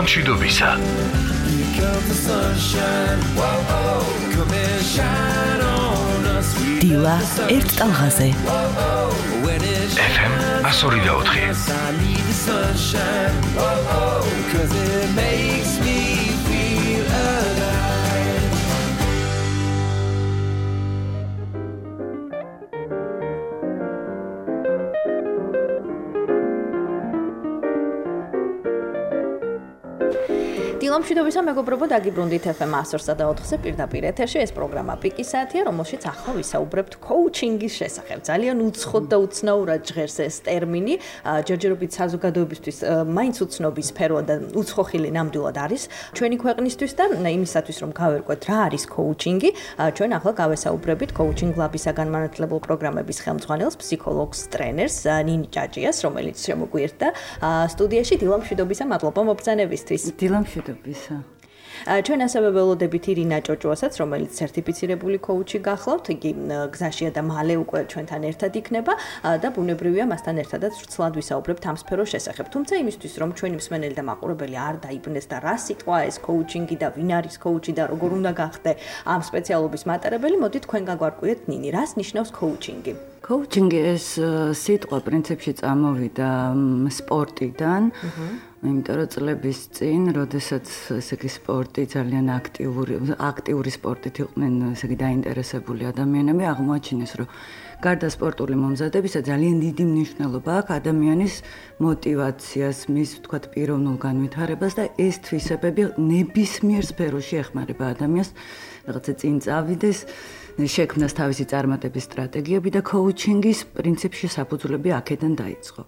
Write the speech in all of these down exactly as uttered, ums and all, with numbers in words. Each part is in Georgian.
მშვიდობისა. დილა ერთ ტალღაზე. ეფ ემ one oh four. დილამშვიდობისა მეგობრებო, დაგიბრუნდით ეფ ემ one oh four-ზე პირდაპირ ეთერში. ეს პროგრამა პიკის საათია, რომელშიც ახლა ვისაუბრებთ კოუჩინგის შესახებ. ძალიან უცხოდ და უცნაურად ჟღერს ეს ტერმინი, ჯერჯერობით საზოგადოებისთვის მაინც უცნობის სფერო და უცხოხილი ნამდვილად არის ჩვენი ქვეყნისთვის და იმისათვის რომ გავერკვეთ რა არის კოუჩინგი, ჩვენ ახლა გავესაუბრებით კოუჩინგ ლაბის საგანმანათლებლო პროგრამების ხელმძღვანელს, ფსიქოლოგს, ტრენერს ნინი ჭაჭიას, რომელიც შემოგვიერთდა სტუდიაში. დილამშვიდობისა, მადლობა მობრძანებისთვის. დილამშვიდობისა. ჩვენ ასევე ველოდებით ირინა ჭოჭუასაც, რომელიც სერტიფიცირებული კოუჩი გახლავთ, იგი გზაშია და მალე უკვე ჩვენთან ერთად იქნება და ბუნებრივია მასთან ერთადაც ვრცლად ვისაუბრებთ ამ სფეროს შესახებ. თუმცა იმისთვის, რომ ჩვენი მსმენელი და მაყურებელი არ დაიბნეს და რა სიტყვა ეს კოუჩინგი და ვინ არის კოუჩი და როგორ უნდა გახდე ამ სპეციალობის მატარებელი, მოდით თქვენ გაგვარკვიეთ ნინი, რას ნიშნავს კოუჩინგი? კოუჩინგი ეს სიტყვა პრინციპში წამოვიდა სპორტიდან. იმიტომ რომ წლების წინ, როდესაც ესე იგი სპორტი ძალიან აქტიური, აქტიური სპორტით იყვნენ ესე იგი დაინტერესებული ადამიანები, აღმოაჩინეს, რომ გარდა სპორტული მომზადებისა ძალიან დიდი მნიშვნელობა აქვს ადამიანის мотивაციას, მის ვთქვათ პიროვნულ განვითარებას და ეს თვისებები ნებისმიერ სფეროში ეხმარება ადამიანს, რაღაცა წინ წავიდეს, შექმნას თავისი წარმატების სტრატეგიები და კოუჩინგის პრინციპში საფუძვლები აქედან დაიწყო.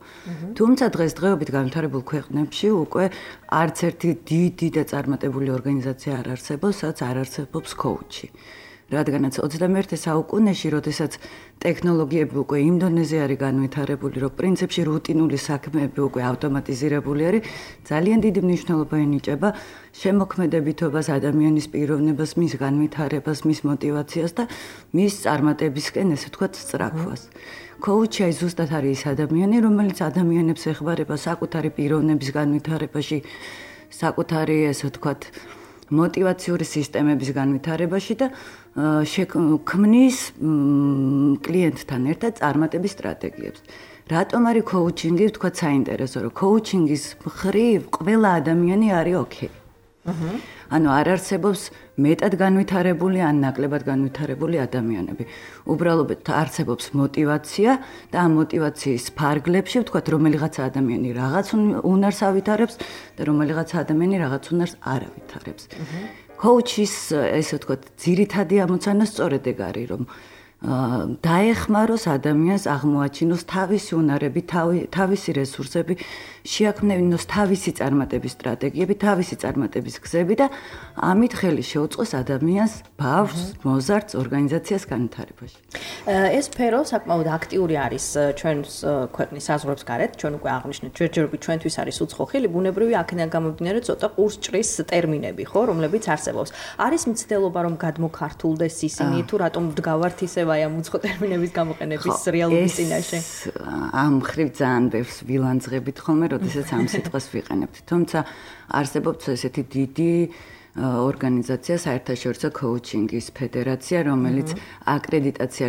თუმცა დღესდღეობით განვითარებულ ქვეყნებში უკვე არც ერთი დიდი და წარმატებული ორგანიზაცია არ არსებობს, სადაც არ არსებობს კოუჩი. რადგანაც ოცდამეერთე საუკუნეში, როდესაც ტექნოლოგიები უკვე იმ დონეზე არის განვითარებული, რომ პრინციპში რუტინული საქმეები უკვე ავტომატიზირებული არის, ძალიან დიდი მნიშვნელობა ენიჭება შემოქმედებითობას, ადამიანის პიროვნებას, მის განვითარებას, მის мотивაციას და მის წარმატებისკენ, ესე ვთქვათ, სწრაფვას. კოუჩი აი ზუსტად არის ის ადამიანი, რომელიც ადამიანებს ეხმარება საკუთარი პიროვნების განვითარებაში, საკუთარი, ესე ვთქვათ, мотивაციური სისტემების განვითარებაში და შექმნის კლიენტთან ერთად წარმატების სტრატეგიებს. რატომ არის კოუჩინგი, ვთქვათ, საინტერესო, რომ კოუჩინგის მხრივ ყველა ადამიანი არის ოკეი. ანუ არ არსებობს მეტად განვითარებული ან ნაკლებად განვითარებული ადამიანები. უბრალოდ არსებობს мотивაცია და ამ мотивაციის ფარგლებში, ვთქვათ, რომელიღაცა ადამიანი რაღაც უნარს ავითარებს და რომელიღაცა ადამიანი რაღაც უნარს არ ავითარებს. კოუჩის, ესე ვთქვათ, ძირითადი ამოცანა სწორედ ეგ არის, რომ დაეხმაროს ადამიანს აღმოაჩინოს თავისი უნარები, თავისი რესურსები, შეაქმნინოს თავისი წარმატების სტრატეგიები, თავისი წარმატების გზები და ამით ხელი შეუწყოს ადამიანს, ბავშვს, მოზარდს, ორგანიზაციას განვითარებაში. ეს სფერო საკმაოდ აქტიური არის ჩვენს ქვეყნის საზღვრებს გარეთ, ჩვენ უკვე აღნიშნეთ, ჯერჯერობით ჩვენთვის არის უცხოხილი, ბუნებრივი აქედან გამომდინარე ცოტა ყურსჭრის ტერმინები, ხო, რომლებიც არსებობს. არის მცდელობა, რომ გადმოქართულდეს ისინი, თუ რატომ ვდგავართ ისე აი ამ უცხო ტერმინების გამოყენების რეალობის წინაშე? ამ მხრივ ძალიან ბევრს ვილანძღებით ხოლმე, როდესაც ამ სიტყვას ვიყენებთ. თუმცა არსებობს ესეთი დიდი ორგანიზაცია, საერთაშორისო კოუჩინგის ფედერაცია, რომელიც აკრედიტაცია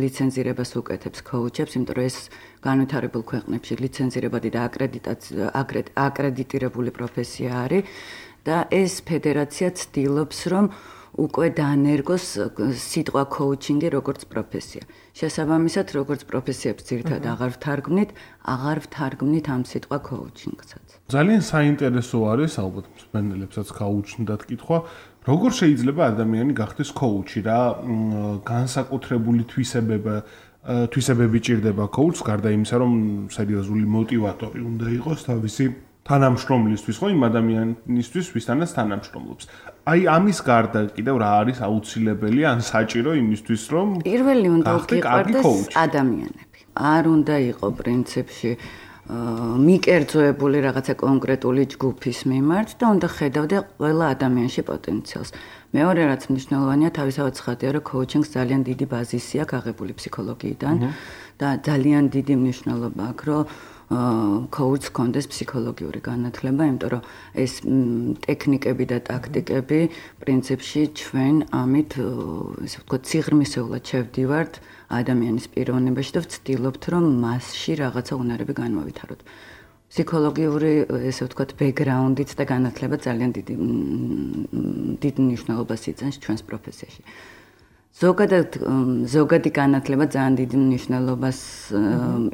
ლიცენზირებას უკეთებს კოუჩებს, იმიტომ რომ ეს განვითარებულ ქვეყნებში ლიცენზირებადი და აკრედიტირებული პროფესია არის და ეს ფედერაცია ცდილობს, რომ უკვე დაანერგოს სიტყვა კოუჩინგი როგორც პროფესია. შესაბამისად, როგორც პროფესიებს ძირითადად აღარ ვთარგმნით, აღარ ვთარგმნით ამ სიტყვა კოუჩინგსაც. ძალიან საინტერესო არის, ალბათ მსმენელებსაც გაუჩნდათ კითხვა, როგორ შეიძლება ადამიანი გახდეს კოუჩი, რა განსაკუთრებული თვისებება თვისებები ჭირდება კოუჩს, გარდა იმისა, რომ სერიოზული мотиваტორი უნდა იყოს თავისი თანამშრომლისთვის, ხო, იმ ადამიანისთვის, ვისთანაც თანამშრომლობს. აი ამის გარდა კიდევ რა არის აუცილებელი ან საჭირო იმისთვის, რომ პირველი უნდა გიყარდეს ადამიანები. არ უნდა იყო პრინციპში მიკერძოებული რაღაცა კონკრეტული ჯგუფის მიმართ და უნდა ხედავდე ყველა ადამიანში პოტენციალს. მეორე რაც მნიშვნელოვანია, თავისთავად ცხადია, რომ კოუჩინგს ძალიან დიდი ბაზისი აქვს აღებული ფსიქოლოგიიდან და ძალიან დიდი მნიშვნელობა აქვს, რომ coach კონდეს ფსიქოლოგიური განათლება, იმიტომ რომ ეს ტექნიკები და ტაქტიკები პრინციპში ჩვენ ამით ესე ვთქვათ სიღრმისეულად შევდივართ ადამიანის პიროვნებაში და ვცდილობთ რომ მასში რაღაცა უნარები განმოვითაროთ. ფსიქოლოგიური ესე ვთქვათ ბექგრაუნდით და განათლება ძალიან დიდი დიდ მნიშვნელობას იწვევს ჩვენს პროფესიაში. ზოგადად ზოგადი განათლება ძალიან დიდი მნიშვნელობას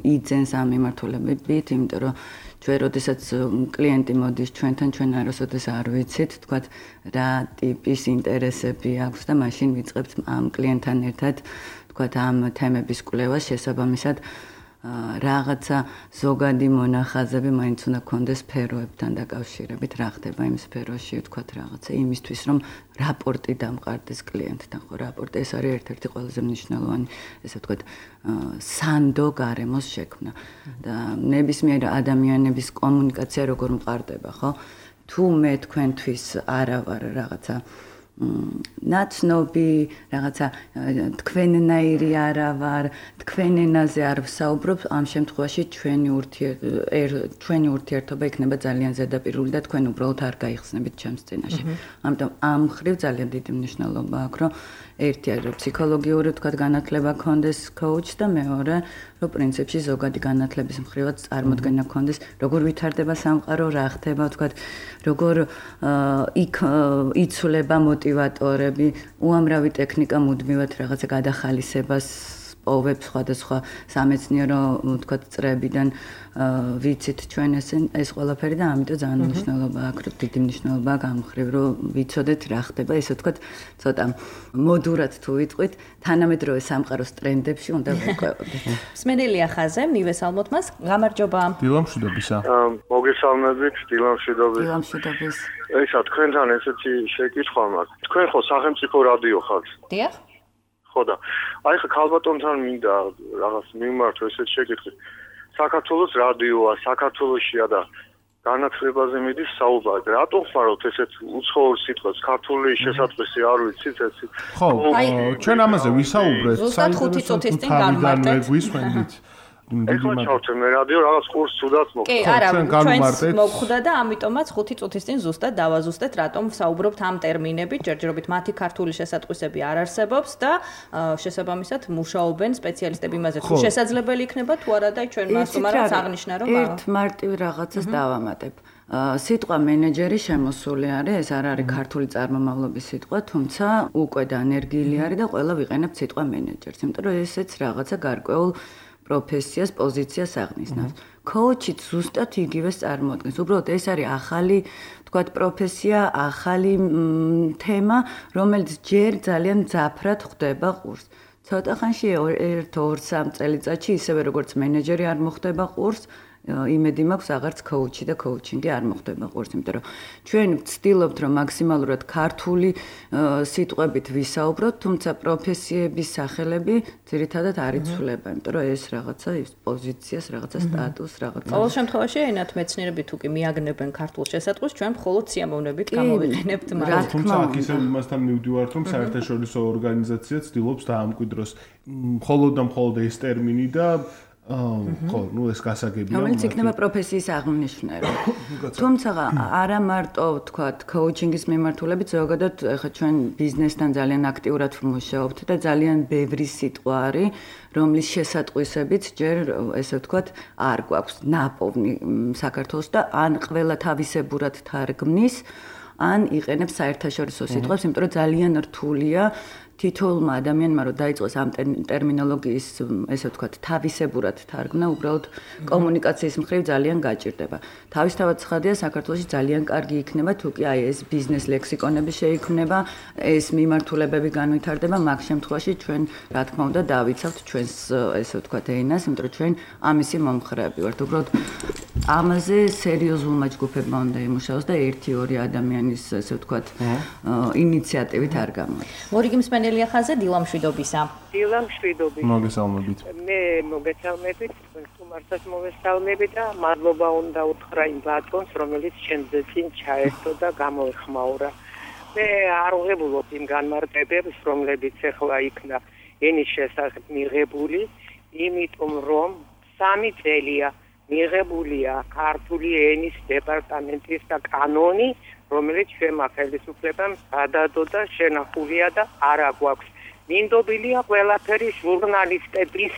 იძლევის ამ მიმართულებებით, იმიტომ რომ ჩვენ როდესაც კლიენტი მოდის ჩვენთან, ჩვენ არასოდეს არ ვიცით, თქვათ რა ტიპის ინტერესები აქვს და მაშინ ვიწყებთ ამ კლიენტთან ერთად, თქვათ ამ თემების კვლევას შესაბამისად რაღაცა ზოგადი მონახაზები მაინც უნდა გქონდეს სფეროებთან დაკავშირებით, რა ხდება იმ სფეროში, ვთქვათ რაღაცა იმისთვის, რომ რაპორტი დამყარდეს კლიენტთან, ხო, რაპორტი ეს არის ერთ-ერთი ყველაზე მნიშვნელოვანი, ესე ვთქვათ, სანდო გარემოს შექმნა და ნებისმიერ ადამიანების კომუნიკაცია როგორ მყარდება, ხო? თუ მე თქვენთვის არა ვარ რაღაცა ნაცნობი, რაღაცა თქვენნაირი არა ვარ, თქვენ ენაზე არ ვსაუბრობ, ამ შემთხვევაში ჩვენი ურთიერთობა ჩვენი ურთიერთობა იქნება ძალიან ზედაპირული და თქვენ უბრალოდ არ გაიხსნებით ჩემს წინაშე. ამიტომ ამ ხრივ ძალიან დიდი მნიშვნელობა აქვს, რომ ერთი არის რომ ფსიქოლოგიური თქვათ განათლება გქონდეს coach და მეორე რომ პრინციპში ზოგადი განათლების მხრივაც წარმოდგენა გქონდეს, როგორ ვითარდება სამყარო, რა ხდება, თქვათ, როგორ იქ იცვლება მოტივატორები, უამრავი ტექნიკა მუდმივად რაღაცა გადახალისებას პოვებს სხვადასხვა სამეცნიერო თქვათ წრეებიდან ვიცით ჩვენ ეს ეს ყველაფერი და ამიტომ ძალიან მნიშვნელობა აქვს, რომ დიდი მნიშვნელობა აქვს ამ ხრივ, რომ ვიცოდეთ რა ხდება, ესე ვთქვათ, ცოტა მოდურად თუ ვიტყვით, თანამედროვე სამყაროს ტრენდებში უნდა ვიყვებოდეთ. მსმენელია ხაზე, მივესალმოთ მას. გამარჯობა. დილამშვიდობისა. მოგესალმებით, დილამშვიდობის. დილამშვიდობის. ესა თქვენთან ესეთი შეკითხვა მაქვს. თქვენ ხო სახელმწიფო რადიო ხართ? დიახ. ხო და აი ხა ქალბატონთან მინდა რაღაც მიმართო ესეთი შეკითხვა. საქართველოს რადიოა, საქართველოსია და განათლებაზე მიდის საუბარი. რატომ ხართ ესეთ უცხოურ სიტყვას? ქართული შესაძლებელი არ ვიცით ესე. ხო, ჩვენ ამაზე ვისაუბრეთ. ზუსტად ხუთი წუთის წინ გამარტეთ. გვისმენდით. ეხლა ჩავთე მე რადიო რაღაც კურსს თუდაც მოხდა. კი, არა, ჩვენს მოგხვდა და ამიტომაც ხუთი წუთის წინ ზუსტად დავაზუსტეთ, რატომ ვსაუბრობთ ამ ტერმინებით, ჯერჯერობით მათი ქართული შესატყვისები არ არსებობს და შესაბამისად მუშაობენ სპეციალისტები იმაზე, თუ შესაძლებელი იქნება თუ არა და ჩვენ მას უმარავს აღნიშნა, რომ ერთ მარტივ რაღაცას დავამატებ. სიტყვა მენეჯერი შემოსული არის, ეს არ არის ქართული წარმომავლობის სიტყვა, თუმცა უკვე დანერგილი არის და ყველა ვიყენებთ სიტყვა მენეჯერს, იმიტომ რომ ესეც რაღაცა გარკვეულ პროფესიას, პოზიციას აღნიშნავს. Coach-ით ზუსტად იგივეს წარმოადგენს. უბრალოდ ეს არის ახალი, თქვათ, პროფესია, ახალი თემა, რომელიც ჯერ ძალიან მძაფრად ხდება ყურს. ცოტა ხანში ერთ ორ სამ წელიწადში ისევე როგორც მენეჯერი არ მოხდება ყურს, იმედი მაქვს აღარც coach-ი და coaching-ი არ მოხდება ყურს, იმიტომ რომ ჩვენ ვცდილობთ რომ მაქსიმალურად ქართული სიტყვებით ვისაუბროთ, თუმცა პროფესიების სახელები ძირითადად არ იცვლება, იმიტომ რომ ეს რაღაცა ის პოზიციას, რაღაცა სტატუსს, რაღაცა. ყოველ შემთხვევაში ენათ მეცნიერები თუ კი მიაგნებენ ქართულ შესატყვისს, ჩვენ მხოლოდ სიამოვნებით გამოვიყენებთ მას. თუმცა აქ ისე იმასთან მივდივართ, რომ საერთაშორისო ორგანიზაცია ცდილობს დაამკვიდროს მხოლოდ და მხოლოდ ეს ტერმინი და ხო, ну ეს გასაგებია. რომელიც იქნება პროფესიის აღმნიშვნელი. თუმცა არა მარტო თქვათ coaching-ის მიმართულებით, ზოგადად ეხლა ჩვენ ბიზნესთან ძალიან აქტიურად ვმუშაობთ და ძალიან ბევრი სიტყვა არის, რომლის შესატყვისებიც ჯერ ესე ვთქვათ არ გვაქვს ნაპოვნი საქართველოს და ან ყველა თავისებურად თარგმნის, ან იყენებს საერთაშორისო სიტყვებს, იმიტომ რომ ძალიან რთულია თითოეულმა ადამიანმა რომ დაიწყოს ამ ტერმინოლოგიის, ესე ვთქვათ, თავისებურად თარგმნა, უბრალოდ კომუნიკაციის მხრივ ძალიან გაჭირდება. თავისთავად ცხადია, საქართველოში ძალიან კარგი იქნება, თუ კი აი ეს ბიზნეს ლექსიკონები შეიქმნება, ეს მიმართულებები განვითარდება, მაგ შემთხვევაში ჩვენ, რა თქმა უნდა, დავიცავთ ჩვენს, ესე ვთქვათ, ენას, იმიტომ რომ ჩვენ ამისი მომხრეები ვართ. უბრალოდ ამაზე სერიოზულმა ჯგუფებმა უნდა იმუშაოს და ერთი ორი ადამიანის, ესე ვთქვათ, ინიციატივით არ გამოდის. მორიგი მსმენელია ხაზე, დილამშვიდობისა. დილამშვიდობისა. მოგესალმებით. მე მოგესალმებით, თუმარსაც მოგესალმები და მადლობა უნდა უთხრა იმ ბატონს, რომელიც ჩემზე წინ ჩაერთო და გამოეხმაურა. მე არ ვღებულობ იმ განმარტებებს, რომლებიც ახლა იქნა ენის შესახებ მიღებული, იმიტომ რომ სამი წელია მიღებულია ქართული ენის დეპარტამენტის და კანონი, რომელიც ჩვენმა ხელისუფლებამ გადადო და შენახულია და არა გვაქვს. მინდობილია ყველაფერი ჟურნალისტების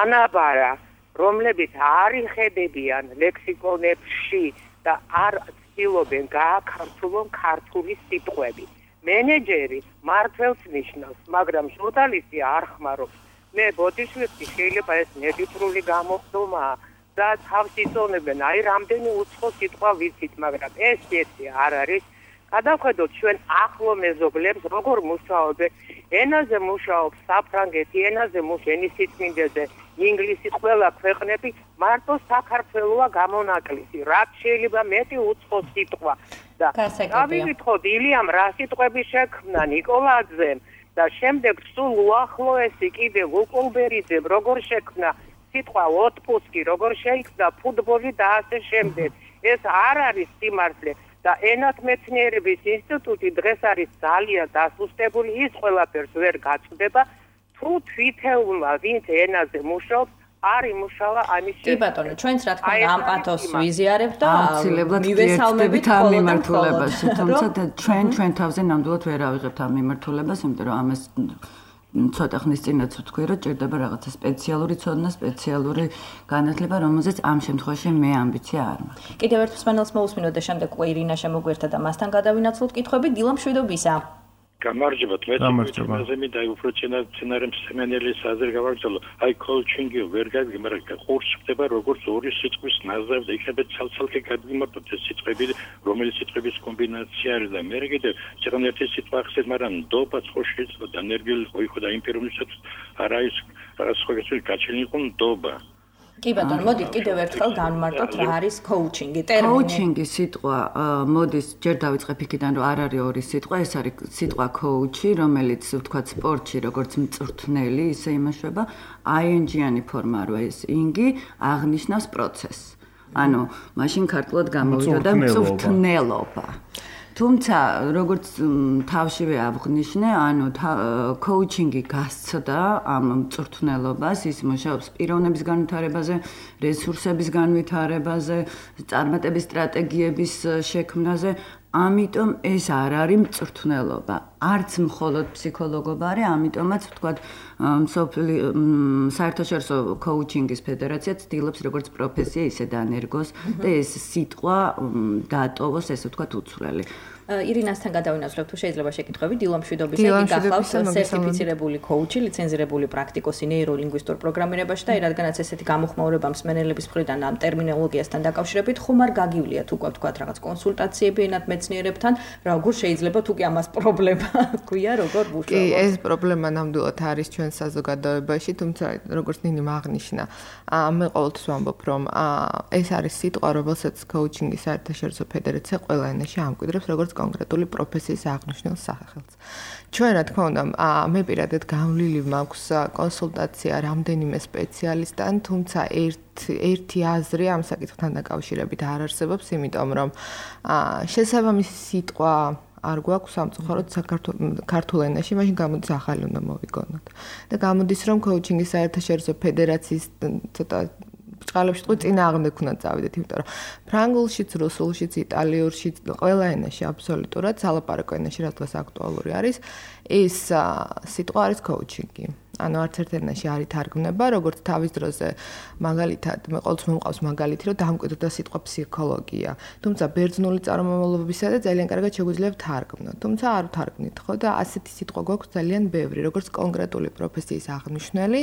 ანაბარა, რომლებიც არ იხედებიან ლექსიკონებში და არ ცდილობენ გააქართულონ ქართული სიტყვები. მენეჯერი მართლს ნიშნავს, მაგრამ ჟურნალისტი არ ხმარობს. მე ბოდიშვილი შეიძლება ეს ნებითრული გამოხდომაა და თავს იწონებენ, აი რამდენი უცხო სიტყვა ვიცით, მაგრამ ეს ერთი არ არის. გადავხედოთ ჩვენ ახლო მეზობლებს, როგორ მუშაობენ. ენაზე მუშაობს საფრანგეთი, ენაზე მუშაობს სიწმინდეზე, ინგლისი, ყველა ქვეყნები, მარტო საქართველოა გამონაკლისი. რაც შეიძლება მეტი უცხო სიტყვა და გავიკითხოთ ილიამ რა სიტყვები შექმნა ნიკოლაძემ და შემდეგ სულ უახლოესი კიდე ლუკულბერიძემ როგორ შექმნა სიტყვა ოტპუსკი, როგორ შეიქმნა ფუტბოლი და ასე შემდეგ. ეს არ არის სიმართლე. და ენათმეცნიერების ინსტიტუტი დღეს არის ძალიან დასუსტებული, ის ყველაფერს ვერ გაწვდება, თუ თვითეულმა ვინც ενაზე მუშაობს, არ იმუშავა ამის შესახებ. კი ბატონო, ჩვენც რა თქმა უნდა ამ პათოსს ვიზიარებთ და მივესალმებით ამ მიმართულებაში, თუმცა ჩვენ ჩვენ თავზე ნამდვილად ვერ ავიღებთ ამ მიმართულებას, იმიტომ რომ ამას ცოტა ხნის წინაც ვთქვი, რომ ჭირდება რაღაცა სპეციალური ცოდნა, სპეციალური განათლება, რომელზეც ამ შემთხვევაში მე ამბიცია არ მაქვს. კიდევ ერთ მსმენელს მოусმინოთ და შემდეგ უკვე ირინა შემოგვერთა და მასთან გადავინაცვლოთ კითხვები. დილა მშვიდობისა. გამარჯობა, მე მე და უფრო ცენარემ სემენელის აზრი გავაგრძელო. აი კოუჩინგი ვერ გაიგე, მაგრამ ხურს ხდება როგორც ორი სიტყვის ნაზავი, იქნება ცალ-ცალკე გადმიმართოთ ეს სიტყვები, რომელიც სიტყვების კომბინაცია არის და მე კიდევ ცოტა ერთი სიტყვა ახსენე, მაგრამ ნდობა ხო შეიძლება და ენერგიული ხო იყო და იმ პიროვნებსაც არა ის სხვა გაჩენილი იყო ნდობა. კი ბატონო, მოდით კიდევ ერთხელ განვმარტოთ რა არის კოუჩინგი, ტერმინი. კოუჩინგი სიტყვა მოდის ჯერ დავიწყებ იქიდან, რომ არ არის ორი სიტყვა, ეს არის სიტყვა კოუჩი, რომელიც ვთქვათ სპორტში როგორც მწვრთნელი, ისე იმაშება, აინჯიანი ფორმა რო ეს ინგი აღნიშნავს პროცესს. ანუ მაშინ ქართულად გამოვიდა მწვრთნელობა. თუმცა როგორც თავშივე აღნიშნე, ანუ კოუჩინგი გასცდა ამ მწვრთნელობას, ის მუშაობს პიროვნების განვითარებაზე, რესურსების განვითარებაზე, წარმატების სტრატეგიების შექმნაზე, ამიტომ ეს არ არის მწვრთნელობა. არც მხოლოდ ფსიქოლოგობა არის, ამიტომაც ვთქვათ, საერთაშორისო კოუჩინგის ფედერაცია ცდილობს როგორც პროფესია, ისე დანერგოს და ეს სიტყვა დაატოვოს, ესე ვთქვათ, უცვლელი. ირინასთან გადავინაცვლებთ, თუ შეიძლება შეკითხვები. დილა მშვიდობისა, იგი გახლავს სერტიფიცირებული კოუჩი, ლიცენზირებული პრაქტიკოსი ნეიროლინგვისტურ პროგრამირებაში და რადგანაც ესეთი გამოხმაურება მსმენელების მხრიდან ამ ტერმინოლოგიასთან დაკავშირებით, ხომ არ გაგივლიათ უკვე ვთქვათ რაღაც კონსულტაციები ენათმეცნიერებთან, როგორ შეიძლება თუ კი ამას პრობლემა გვია, როგორ მუშაობთ? კი, ეს პრობლემა ნამდვილად არის ჩვენ საზოგადოებაში, თუმცა როგორც ნინიმ აღნიშნა, მე ყოველთვის ვამბობ, რომ ეს არის სიტყვა, რომელსაც კოუჩინგის საერთაშორისო ფედერაცია ყველა ენაში ამკვიდრებს, როგორც კონკრეტული პროფესიის აღნიშნულ სახელს. ჩვენ რა თქმა უნდა, მე პირადად გავლილი მაქვს კონსულტაცია რამდენიმე სპეციალისტთან, თუმცა ერთ ერთი აზრი ამ საკითხთან დაკავშირებით არ არსებობს, იმიტომ რომ შესაბამისი სიტყვა არ გვაქვს სამწუხაროდ ქართულ ენაში, მაშინ გამოდის ახალი უნდა მოვიგონოთ. და გამოდის რომ კოუჩინგის საერთაშორისო ფედერაციის ცოტა წყალებში თქვი წინააღმდეგ უნდა წავიდეთ, იმიტომ რომ ფრანგულშიც, რუსულშიც, იტალიურშიც, ყველა ენაში აბსოლუტურად სალაპარაკო ენაში რაც დღეს აქტუალური არის, ეს სიტყვა არის კოუჩინგი. ანუ არც ერთ ენაში არ ითარგმნება, როგორც თავის დროზე მაგალითად, მე ყოველთვის მომყავს მაგალითი, რომ დამკვიდრდა სიტყვა ფსიქოლოგია. თუმცა ბერძნული წარმომავლობისა და ძალიან კარგად შეგვიძლია ვთარგმნოთ. თუმცა არ ვთარგმნით, ხო და ასეთი სიტყვა გვაქვს ძალიან ბევრი, როგორც კონკრეტული პროფესიის აღნიშნელი,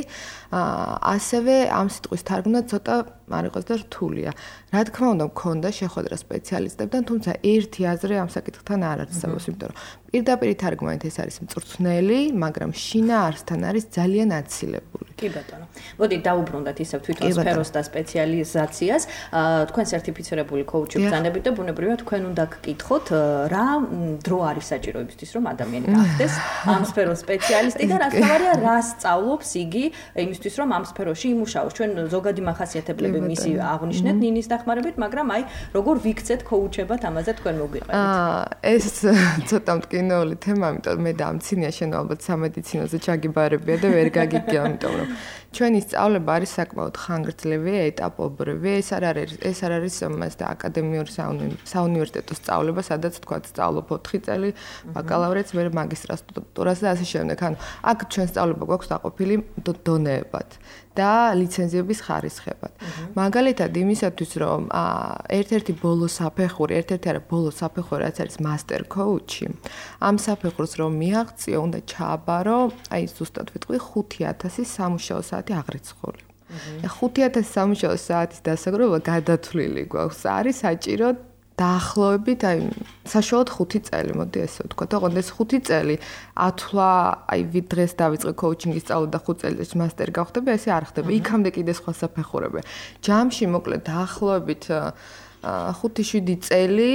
ასევე ამ სიტყვის თარგმნა ცოტა არ იყოს და რთულია. რა თქმა უნდა, მქონდა შეხვედრა სპეციალისტებთან, თუმცა ერთი აზრი ამ საკითხთან არ არსებობს, იმიტომ რომ პირდაპირ თარგმანით ეს არის მწვრთნელი, მაგრამ შინაარსთან არის ძალიან აცილებული. კი ბატონო. მოდით დაუბრუნდეთ ისევ თვითონ სფეროს და სპეციალიზაციას. თქვენ სერტიფიცირებული კოუჩი ბრძანებით და ბუნებრივია თქვენ უნდა გკითხოთ, რა დრო არის საჭირო იმისთვის, რომ ადამიანი გახდეს ამ სფეროს სპეციალისტი და რა თქმა რა სწავლობს იგი იმისთვის, რომ ამ სფეროში იმუშაოს. ჩვენ ზოგადი მახასიათებლები მისი აღნიშნეთ ნინის დახმარებით, მაგრამ აი როგორ ვიქცეთ კოუჩებად, ამაზე თქვენ მოგვიყევით. ეს ცოტა მტკივნეული თემა, იმიტომ მე და ამცინია შენ ალბათ სამედიცინოზე ჩაგიბარებია და ვერ გაგიგია, იმიტომ რომ ჩვენი სწავლება არის საკმაოდ ხანგრძლივი, ეტაპობრივი. ეს არ არის ეს არ არის მასდა აკადემიური საუნივერსიტეტო სწავლება, სადაც თქვა სწავლობ ოთხი წელი, ბაკალავრეთს, მე მაგისტრატურას და ასე შემდეგ. ანუ აქ ჩვენ სწავლება გვაქვს დაყოფილი დონეებად და ლიცენზიების ხარისხებად. მაგალითად, იმისათვის, რომ ერთ-ერთი ბოლო საფეხური, ერთ-ერთი არა ბოლო საფეხური, რაც არის master coach-ი, ამ საფეხურს რომ მიაღწიო, უნდა ჩააბარო, აი ზუსტად ვიტყვი ხუთი ათასი სამუშაო საათი აღრიცხული. ხუთი ათასი სამუშაო საათის დასაგროვა გადათვლილი გვაქვს. არის საჭირო დაახლოებით აი საშუალოდ ხუთი წელი, მოდი ესე ვთქვა. თქო, ეს ხუთი წელი ათვლა, აი ვით დღეს დავიწყე კოუჩინგის სწავლა და ხუთ წელიწადში მასტერი გავხდები, ესე არ ხდება. იქამდე კიდე სხვა საფეხურები. ჯამში მოკლედ დაახლოებით ხუთი შვიდი წელი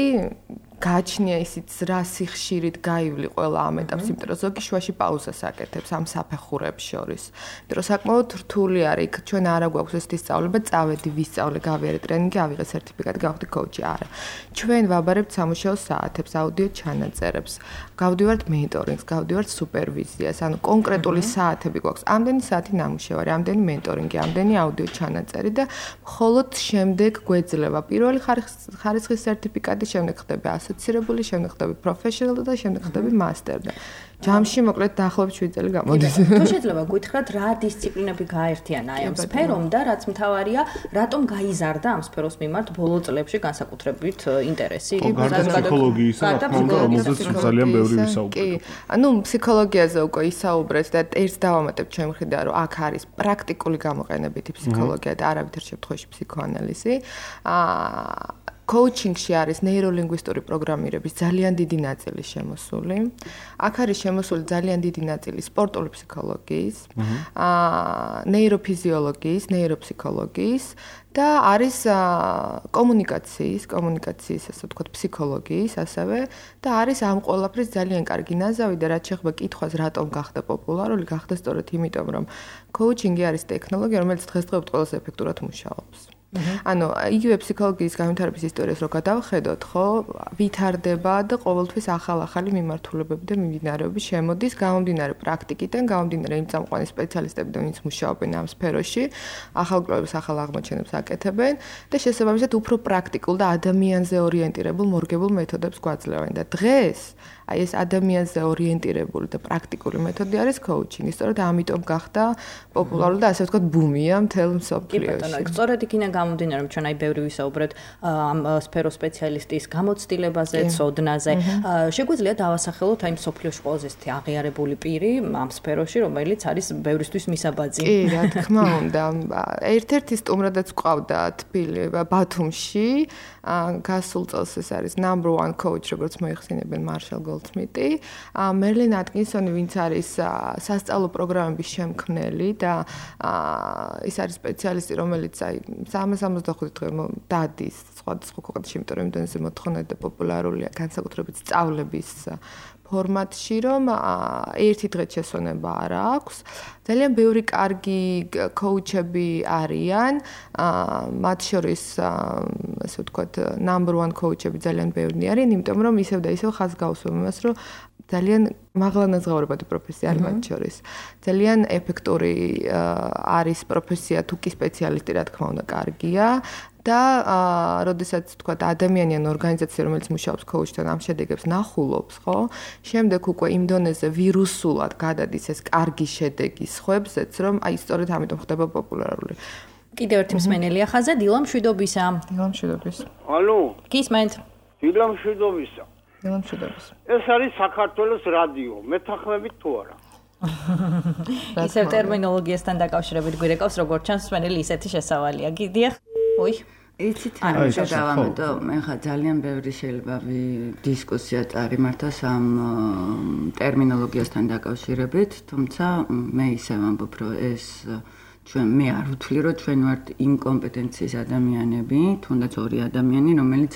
გაჩნია ისიც რა სიხშირით გაივლი ყველა ამ ეტაპს, იმიტომ რომ ზოგი შუაში პაუზას აკეთებს ამ საფეხურებს შორის. იმიტომ რომ საკმაოდ რთული არის, იქ ჩვენ არა გვაქვს ესეთი სწავლება, წავედი, ვისწავლე, გავიარე ტრენინგი, ავიღე სერტიფიკატი, გავხდი კოუჩი, არა. ჩვენ ვაბარებთ სამუშაო საათებს, აუდიო ჩანაწერებს, გავდივართ მენტორინგს, გავდივართ სუპერვიზიას, ანუ კონკრეტული საათები გვაქვს. ამდენი საათი ნამუშევარი, ამდენი მენტორინგი, ამდენი აუდიო ჩანაწერი და მხოლოდ შემდეგ გვეძლება პირველი ხარისხის სერტიფიკატი, შემდეგ ხდება ასოცირებული, შემდეგ ხდები პროფესიონალი და შემდეგ ხდები მასტერ და ჯამში მოკლედ დაახლოებით შვიდი წელი გამოდის. თუ შეიძლება გითხრათ რა დისციპლინები გაერთიანა აი ამ სფერომ და რაც მთავარია, რატომ გაიზარდა ამ სფეროს მიმართ ბოლო წლებში განსაკუთრებით ინტერესი? გარდა ფსიქოლოგიისა, რომელზეც ძალიან ბევრი ვისაუბრეთ. კი, ანუ ფსიქოლოგიაზე უკვე ისაუბრეთ და ერთს დავამატებ ჩემ მხრიდან, რომ აქ არის პრაქტიკული გამოყენებითი ფსიქოლოგია და არავითარ შემთხვევაში ფსიქოანალიზი. აა კოუჩინგში არის ნეიროლინგვისტური პროგრამირების ძალიან დიდი ნაწილი შემოსული. აქ არის შემოსული ძალიან დიდი ნაწილი სპორტული ფსიქოლოგიის, აა ნეიროფიზიოლოგიის, ნეიროფსიქოლოგიის და არის კომუნიკაციის, კომუნიკაციის, ასე ვთქვათ, ფსიქოლოგიის ასევე და არის ამ ყველაფრის ძალიან კარგი ნაზავი და რაც შეეხება კითხვას, რატომ გახდა პოპულარული, გახდა სწორედ იმიტომ, რომ კოუჩინგი არის ტექნოლოგია, რომელიც დღესდღეობით ყველაზე ეფექტურად მუშაობს. ანუ იგივე ფსიქოლოგიის განვითარების ისტორიას რო გადავხედოთ, ხო, ვითარდება და ყოველთვის ახალ-ახალი მიმართულებები და მიმდინარეობები შემოდის გამომდინარე პრაქტიკიდან, გამომდინარე იმ წამყვანი სპეციალისტებიდან, ვინც მუშაობენ ამ სფეროში, ახალ კვლევებს, ახალ აღმოჩენებს აკეთებენ და შესაბამისად უფრო პრაქტიკულ და ადამიანზე ორიენტირებულ მორგებულ მეთოდებს გვაძლევენ და დღეს აი ეს ადამიანზე ორიენტირებული და პრაქტიკული მეთოდი არის კოუჩინგი. სწორედ ამიტომ გახდა პოპულარული და ასე ვთქვათ ბუმია მთელ მსოფლიოში. კი ბატონო, სწორედ იქიდან გამომდინარე, რომ ჩვენ აი ბევრი ვისაუბრეთ ამ სფეროს სპეციალისტის გამოცდილებაზე, ცოდნაზე. შეგვიძლია დავასახელოთ აი მსოფლიოში ყველაზე ისეთი აღიარებული პირი ამ სფეროში, რომელიც არის ბევრისთვის მისაბაძი. კი, რა თქმა უნდა. ერთ-ერთი სტუმრადაც ყავდა თბილი ბათუმში. გასულ წელს ეს არის number one coach, როგორც მოიხსენებენ მარშალ გოლდსმიტი, მერლინ ატკინსონი, ვინც არის სასწავლო პროგრამების შემქმნელი და ის არის სპეციალისტი, რომელიც აი სამას ოცდახუთი დღე დადის სხვადასხვა ქვეყანაში, იმიტომ რომ იმდენზე მოთხოვნადი და პოპულარულია განსაკუთრებით სწავლების ფორმატში, რომ ერთი დღეც შესვენება არ აქვს. ძალიან ბევრი კარგი კოუჩები არიან, მათ შორის ასე ვთქვათ, number one კოუჩები ძალიან ბევრი არიან, იმიტომ რომ ისევ და ისევ ხაზს გავუსვამ იმას, რომ ძალიან მაღალანაზღაურებადი პროფესია არის მათ შორის. ძალიან ეფექტური არის პროფესია, თუ კი სპეციალისტი, რა თქმა უნდა, კარგია. და როდესაც თქვა ადამიანი ან ორგანიზაცია, რომელიც მუშაობს კოუჩთან, ამ შედეგებს ნახულობს, ხო? შემდეგ უკვე იმ დონეზე ვირუსულად გადადის ეს კარგი შედეგი სხვებზეც, რომ აი სწორედ ამიტომ ხდება პოპულარული. კიდევ ერთი მსმენელია ხაზე, დილა მშვიდობისა. დილა მშვიდობისა. ალო. გისმენთ? დილა მშვიდობისა. დილა მშვიდობისა. ეს არის საქართველოს რადიო. მეთანხმებით თუ არა? ისევ ტერმინოლოგიასთან დაკავშირებით გვირეკავს, როგორც ჩანს, მსმენელი ისეთი შესავალია. გიდიახ. ой იცით რა შევამეთო მე ხა ძალიან ბევრი შეიძლება დისკუსია წარიმართოს ამ ტერმინოლოგიასთან დაკავშირებით, თუმცა მე ისე ვამბობ, რომ ეს ჩვენ მე არ ვთვლი, რომ ჩვენ ვართ იმ კომპეტენციის ადამიანები, თუნდაც ორი ადამიანი, რომელიც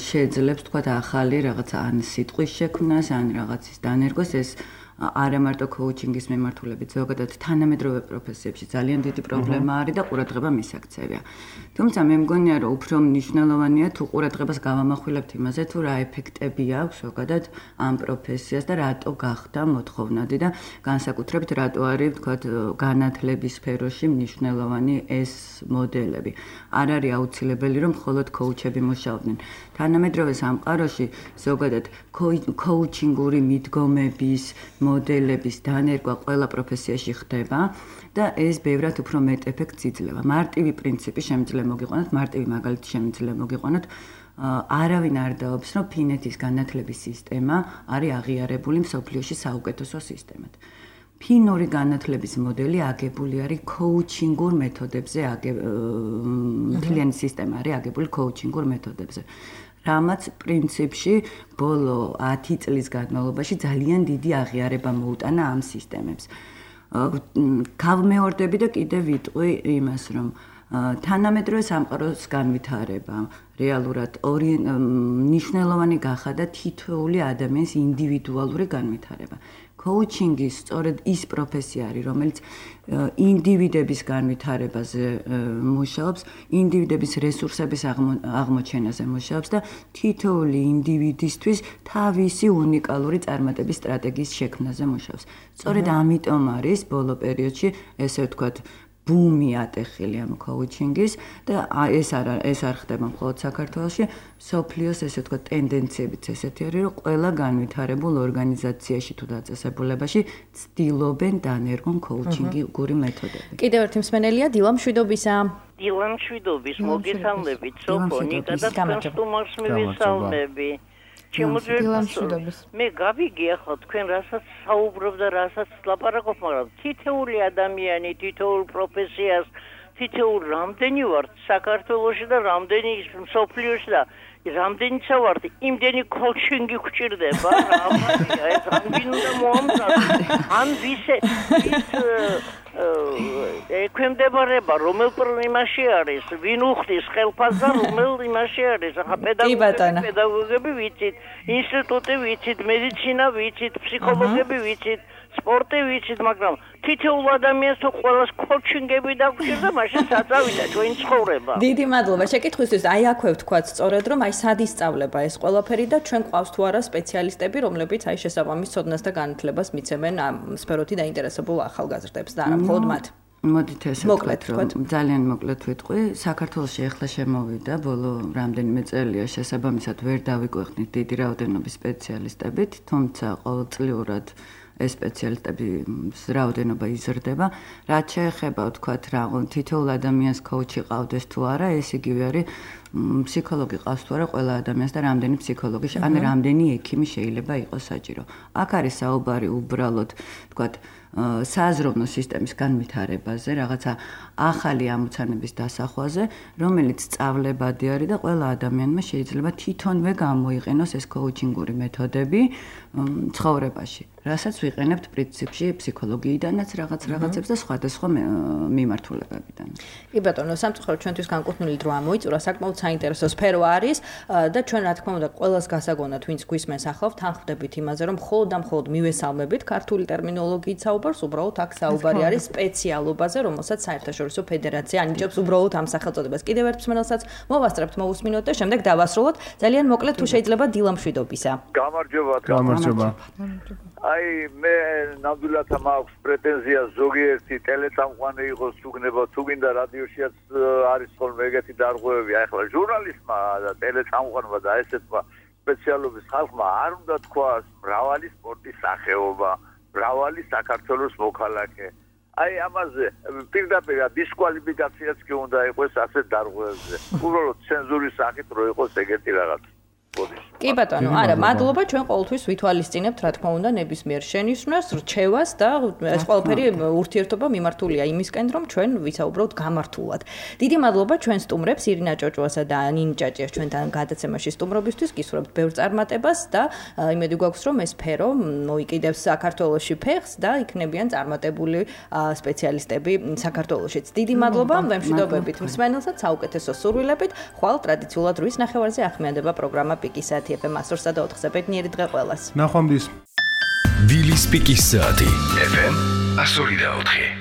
შეძლებს თქვა ახალი რაღაცა ან სიტყვის შექმნას, ან რაღაცის დანერგოს, ეს არა მარტო კოუჩინგის მიმართულებით, ზოგადად თანამედროვე პროფესიებში ძალიან დიდი პრობლემა არის და ყურადღება მისაქცევია. თუმცა მე მგონია, რომ უფრო მნიშვნელოვანია თუ ყურადღებას გავამახვილებთ იმაზე, თუ რა ეფექტები აქვს ზოგადად ამ პროფესიას და რატო გახდა მოთხოვნადი და განსაკუთრებით რატო არის, ვთქვათ, განათლების სფეროში მნიშვნელოვანი ეს მოდელები. არ არის აუცილებელი, რომ მხოლოდ კოუჩები მუშაობდნენ. თანამედროვე სამყაროში ზოგადად კოუჩინგური მიდგომების მოდელების დანერგვა ყველა პროფესიაში ხდება და ეს ბევრად უფრო მეტ ეფექტს იძლევა. მარტივი პრინციპი შემიძლია მოგიყვანოთ, მარტივი მაგალითი შემიძლია მოგიყვანოთ. არავინ არ დაობს, რომ ფინეთის განათლების სისტემა არის აღიარებული მსოფლიოში საუკეთესო სისტემად. ფინური განათლების მოდელი აგებული არის კოუჩინგურ მეთოდებზე, მთლიანი სისტემა არის აგებული კოუჩინგურ მეთოდებზე. რამაც პრინციპში ბოლო ათი წლის განმავლობაში ძალიან დიდი აღიარება მოუტანა ამ სისტემებს. გავმეორდები და კიდევ ვიტყვი იმას, რომ თანამედროვე სამყაროს განვითარება რეალურად ორი მნიშვნელოვანი გახადა თითოეული ადამიანის ინდივიდუალური განვითარება. კოუჩინგი სწორედ ის პროფესია არის, რომელიც ინდივიდების განვითარებაზე მუშაობს, ინდივიდების რესურსების აღმოჩენაზე მუშაობს და თითოეული ინდივიდისთვის თავისი უნიკალური წარმატების სტრატეგიის შექმნაზე მუშაობს. სწორედ ამიტომ არის ბოლო პერიოდში ესე ვთქვათ ბუმი ატეხილი ამ კოუჩინგის და ეს არ ეს არ ხდება მხოლოდ საქართველოში, სოფლიოს ესე ვთქვათ ტენდენციებიც ესეთი არის, რომ ყველა განვითარებულ ორგანიზაციაში თუ დაწესებულებაში ცდილობენ დანერგონ კოუჩინგური მეთოდები. კიდევ ერთი მსმენელია დილა მშვიდობისა. დილა მშვიდობის, მოგესალმებით, სოფონიკა და სტუმარს მივესალმები. მე გავიგე ახლა თქვენ რასაც საუბრობ და რასაც ლაპარაკობ, მაგრამ თითოეული ადამიანი, თითოეულ პროფესიას, თითოეულ რამდენი ვართ საქართველოში და რამდენი მსოფლიოში და რამდენიცა ვართ, იმდენი კოუჩინგი გვჭირდება, რა ამბია, ეს რამბინ უნდა მოამზადოს. ან ვისე ის ექვემდებარება რომელ იმაში არის, ვინ უხდის ხელფასს და რომელ იმაში არის. ახლა პედაგოგები, პედაგოგები ვიცით, ინსტიტუტი ვიცით, მედიცინა ვიცით, ფსიქოლოგები ვიცით, სპორტი ვიცით, მაგრამ თითოეულ ადამიანს თუ ყველას კოუჩინგები დაგვჭირდა, მაშინ საწავიდა ჩვენი ცხოვრება. დიდი მადლობა შეკითხვისთვის. აი აქვე ვთქვათ სწორედ, რომ აი სად ისწავლება ეს ყველაფერი და ჩვენ გვყავს თუ არა სპეციალისტები, რომლებიც აი შესაბამის ცოდნას და განათლებას მიცემენ ამ სფეროთი დაინტერესებულ ახალგაზრდებს და არა მხოლოდ მათ. მოდით ესე ვთქვათ, რომ ძალიან მოკლედ ვიტყვი, საქართველოში ახლა შემოვიდა ბოლო რამდენიმე წელია შესაბამისად ვერ დავიკვეხნით დიდი რაოდენობის სპეციალისტებით, თუმცა ყოველწლიურად ეს სპეციალისტების რაოდენობა იზრდება. რაც შეეხება ვთქვათ, რა თითოეულ ადამიანს კოუჩი ყავდეს თუ არა, ეს იგივე არის ფსიქოლოგი ყავს თუ არა ყველა ადამიანს და რამდენი ფსიქოლოგი, ან რამდენი ექიმი შეიძლება იყოს საჭირო. აქ არის საუბარი უბრალოდ ვთქვათ სააზროვნო სისტემის განვითარებაზე, რაღაცა ახალი ამოცანების დასახვაზე, რომელიც სწავლებადი არის და ყველა ადამიანმა შეიძლება თვითონვე გამოიყენოს ეს კოუჩინგური მეთოდები ცხოვრებაში. რასაც ვიყენებთ პრინციპში ფსიქოლოგიიდანაც რაღაც რაღაცებს და სხვადასხვა მიმართულებებიდან. კი ბატონო, სამწუხაროდ ჩვენთვის განკუთვნილი დრო ამოიწურა, საკმაოდ საინტერესო სფერო არის და ჩვენ რა თქმა უნდა ყველას გასაგონად, ვინც გვისმენს ახლა ვთანხმდებით იმაზე, რომ მხოლოდ და მხოლოდ მივესალმებით ქართული ტერმინოლოგიით საუბარს, უბრალოდ აქ საუბარი არის სპეციალობაზე, რომელსაც საერთაშორისო ფედერაცია ანიჭებს უბრალოდ ამ სახელწოდებას. კიდევ ერთ მსმენელსაც მოვასწრებთ, მოვუსმინოთ და შემდეგ დავასრულოთ. ძალიან მოკლედ თუ შეიძლება დილა მშვიდობისა. გამარჯობა, გამარჯობა. აი მე ნამდვილად მაქვს პრეტენზია ზოგიერთი ტელეწამყვანი იყოს თუგნება თუ გინდა რადიოშიაც არის ხოლმე ეგეთი დარღვევები. აი ახლა ჟურნალისტმა და ტელეწამყვანმა და ესეთმა სპეციალობის ხალხმა არ უნდა თქვას მრავალი სპორტის სახეობა, მრავალი საქართველოს მოქალაქე. აი ამაზე პირდაპირ დისკვალიფიკაციაც კი უნდა იყოს ასეთ დარღვევებზე. უბრალოდ ცენზურის სახით რო იყოს ეგეთი რაღაც. კი ბატონო, არა, მადლობა, ჩვენ ყოველთვის ვითვალისწინებთ, რა თქმა უნდა, ნებისმიერ შენიშვნას, რჩევას და ეს ყველაფერი ურთიერთობა მიმართულია იმისკენ, რომ ჩვენ ვისაუბროთ გამართულად. დიდი მადლობა ჩვენ სტუმრებს, ირინა ჭოჭუასა და ნინი ჭაჭიას ჩვენთან გადაცემაში სტუმრობისთვის, გისურვებთ ბევრ წარმატებას და იმედი გვაქვს, რომ ეს სფერო მოიკიდებს საქართველოში ფეხს და იქნებიან წარმატებული სპეციალისტები საქართველოშიც. დიდი მადლობა, ვემშვიდობებით მსმენელსაც, საუკეთესო სურვილებით. ხვალ ტრადიციულად რვის ნახევარზე ახმიანდება პროგრამა პიკისათი ეფ ემ სто ოთხ ბედნიერი დღე ყველას. ნახვამდის. დილის პიკის საათი. ეფ ემ one oh four.